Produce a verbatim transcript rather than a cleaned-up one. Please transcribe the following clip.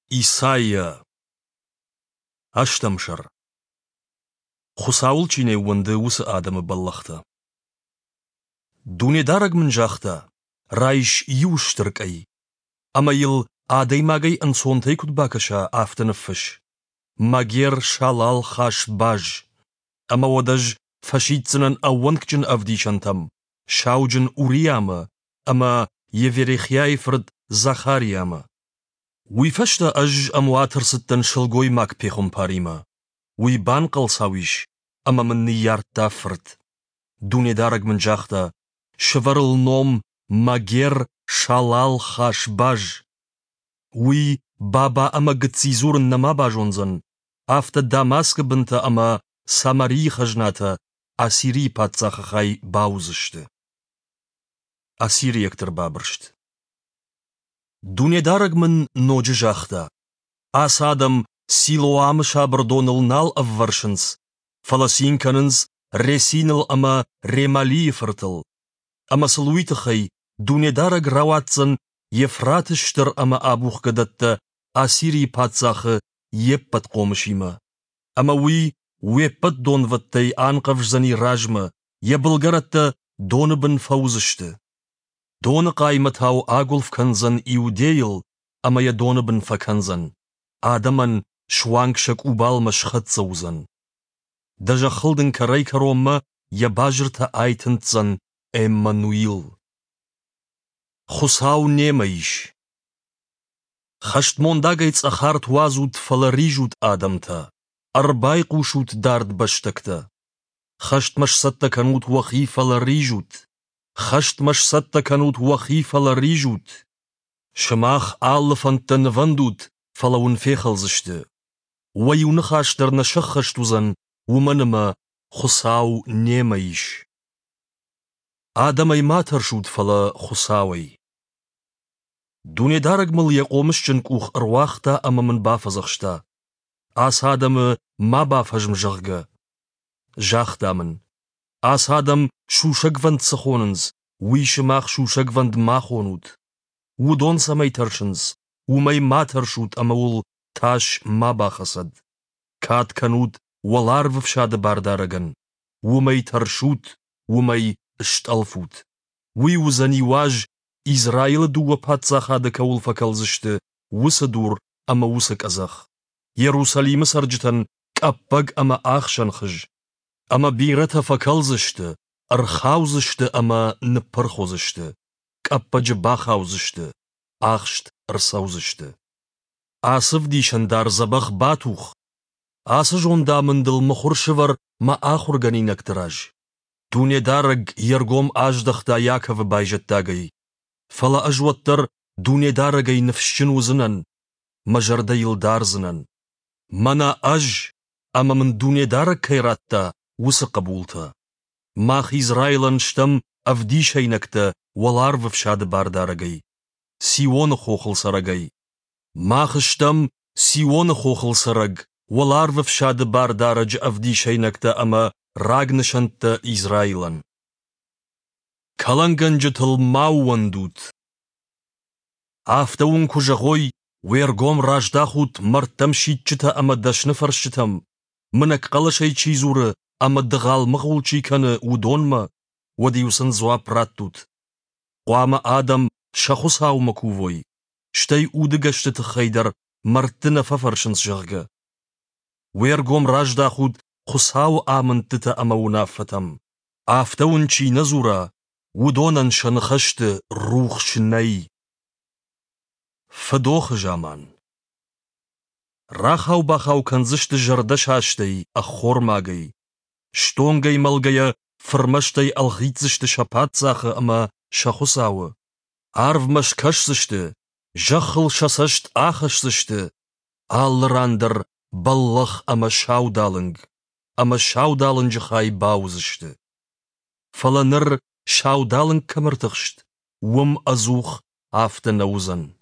Исайа. Ӕстӕм сӕр. Хуыцауыл чи не ууӕнды, уыцы адӕмы бӕллӕхтӕ. Дунедарӕг мын загъта: «Райс иу стыр къӕй, ӕмӕ йыл, адӕймагӕй ӕнцонтӕй куыд бакӕса, афтӕ ныффысс: Магер-Шалал-Хаш-Баз. Ӕмӕ уӕд ӕз фӕсиддзынӕн ӕууӕнкджын ӕвдисӕнтӕм, сауджын Уриамӕ ӕмӕ Йеверехиайы фырт Захариамӕ. Уый фӕстӕ ӕз ӕмуат ӕрцыдтӕн сылгоймаг-пехуымпаримӕ. Уый банхъӕлцау ис ӕмӕ мын ныййардта фырт. Дунедарӕг мын загъта: «Сӕвӕр ыл ном Магер-Шалал-Хаш-Баз. Уый баба ӕмӕ гыцци дзурын нӕма базондзӕн, афтӕ Дамаскы бынтӕ ӕмӕ Самарийы хӕзнатӕ Ассирийы паддзахы хай бауыдзысты». Ассириӕгты ӕрбабырст. Дунедарӕг мын ноджы загъта: «Ацы адӕм Силоамы сабыр доныл нал ӕввӕрсынц, фӕлӕ цин кӕнынц Ресиныл ӕмӕ Ремалийы фыртыл. Ӕмӕ сыл уый тыххӕй Дунедарӕг рауадздзӕн Евфраты стыр ӕмӕ абухгӕ дӕттӕ Ассирийы паддзахы йе ппӕт хъомысимӕ. Ӕмӕ уый уе ппӕт донвӕдтӕй анхъӕвздзӕни размӕ, йӕ былгӕрӕттӕ доны бын фӕуыдзысты. Доны хъаймӕтау агуылф кӕндзӕн Иудейыл ӕмӕ йӕ доны бын фӕкӕндзӕн. Адӕмӕн суанг сӕ къубалмӕ схӕццӕ уыдзӕн. Дӕ зӕххыл дын кӕрӕй-кӕронмӕ йӕ базыртӕ айтындздзӕн Эммануил. Хуыцау немӕ ис. Хӕстмондагӕй цъӕх арт уадзут, фӕлӕ ризут адӕмтӕ. Ӕрбайхъусут дард бӕстӕгтӕ. Хӕстмӕ сцӕттӕ кӕнут уӕхи, фӕлӕ ризут. Хӕстмӕ сцӕттӕ кӕнут уӕхи, фӕлӕ ризут. Сымах алы фӕндтӕ нывӕндут, фӕлӕ уын фехӕлдзысты. Уӕ иу ныхас дӕр нӕ сӕххӕст уыдзӕн, уымӕн ӕмӕ Хуыцау немӕ ис. Адӕмӕй ма тӕрсут, фӕлӕ Хуыцауӕй. Дунедарӕг мыл йӕ хъомысджын къух ӕруагъта ӕмӕ мын бафӕдзӕхста: ацы адӕмы ма бафӕзм, зӕгъгӕ. Загъта мын: ацы адӕм сусӕгвӕнд цы хонынц, уый сымах сусӕгвӕнд ма хонут. Уыдон цӕмӕй тӕрсынц, уымӕй ма тӕрсут ӕмӕ уыл тас ма бахӕцӕд. Кад кӕнут уӕларвы фсады бардарӕгӕн. Уымӕй тӕрсут, уымӕй стъӕлфут. Уый уыдзӕни уаз, Израилы дыууӕ паддзахады кӕуыл фӕкӕлдзысты, уыцы дур ӕмӕ уыцы къӕдзӕх. Иерусалимы цӕрджытӕн къӕппӕг ӕмӕ ӕхсӕн хыз. Ӕмӕ бирӕтӕ фӕкӕлдзысты, ӕрхаудзысты ӕмӕ ныппырх уыдзысты, къӕппӕджы бахаудзысты, ахст ӕрцӕудзысты. Ацы ӕвдисӕндар дзӕбӕх батух, ацы зондамындыл мыхуыр сӕвӕр мӕ ахуыргӕнинӕгты раз. Дунедарӕг йе ргом аздӕхта Иаковы байзӕддагӕй. Фӕлӕ ӕз уӕддӕр Дунедарӕгӕй ныфсджын уыдзынӕн, мӕ зӕрдӕ йыл дардзынӕн. Мӕнӕ ӕз, ӕмӕ мын Дунедарӕг кӕй радта, уыцы хъӕбултӕ. Мах Израилӕн стӕм ӕвдисӕйнӕгтӕ уӕларвы фсады бардарӕгӕй, Сионы хохыл цӕрӕгӕй. Мах стӕм Сионы хохыл цӕрӕг, уӕларвы фсады бардарӕджы ӕвдисӕйнӕгтӕ ӕмӕ рагнысӕнттӕ Израилӕн. Кӕлӕнгӕнджытыл ма ууӕндут. Афтӕ уын куы зӕгъой, уе ргом раздахут мӕрдтӕм сидджытӕ ӕмӕ дӕсныфӕрсджытӕм, мынӕг хъӕлӕсӕй чи дзуры ӕмӕ дыгъал-мыгъул чи кӕны, уыдонмӕ, уӕд-иу сын дзуапп раттут. Хъуамӕ адӕм сӕ Хуыцаумӕ кувой, стӕй удыгӕсты тыххӕй дӕр мӕрдты нӕ фӕфӕрсынц, зӕгъгӕ. Уе ргом раздахут Хуыцауы амындтытӕ ӕмӕ уынаффӕтӕм. Афтӕ уын чи нӕ дзура, уыдонӕн сӕ ныхӕсты рухс нӕй. Фыдохы заман. Рахау-бахау кӕндзысты зӕрдӕсастӕй, ӕххормагӕй. Стонгӕй мӕлгӕйӕ фырмӕстӕй ӕлгъитдзысты сӕ паддзахы ӕмӕ сӕ хуыцауы. Арвмӕ скӕсдзысты, зӕххыл сӕ цӕст ахӕсдзысты, алы ран дӕр бӕллӕх ӕмӕ саудалынг, ӕмӕ саудалынджы хай бауыдзысты. Фӕлӕ ныр саудалынг кӕм ӕртыхст, уым ӕдзух афтӕ нӕ уыдзӕн.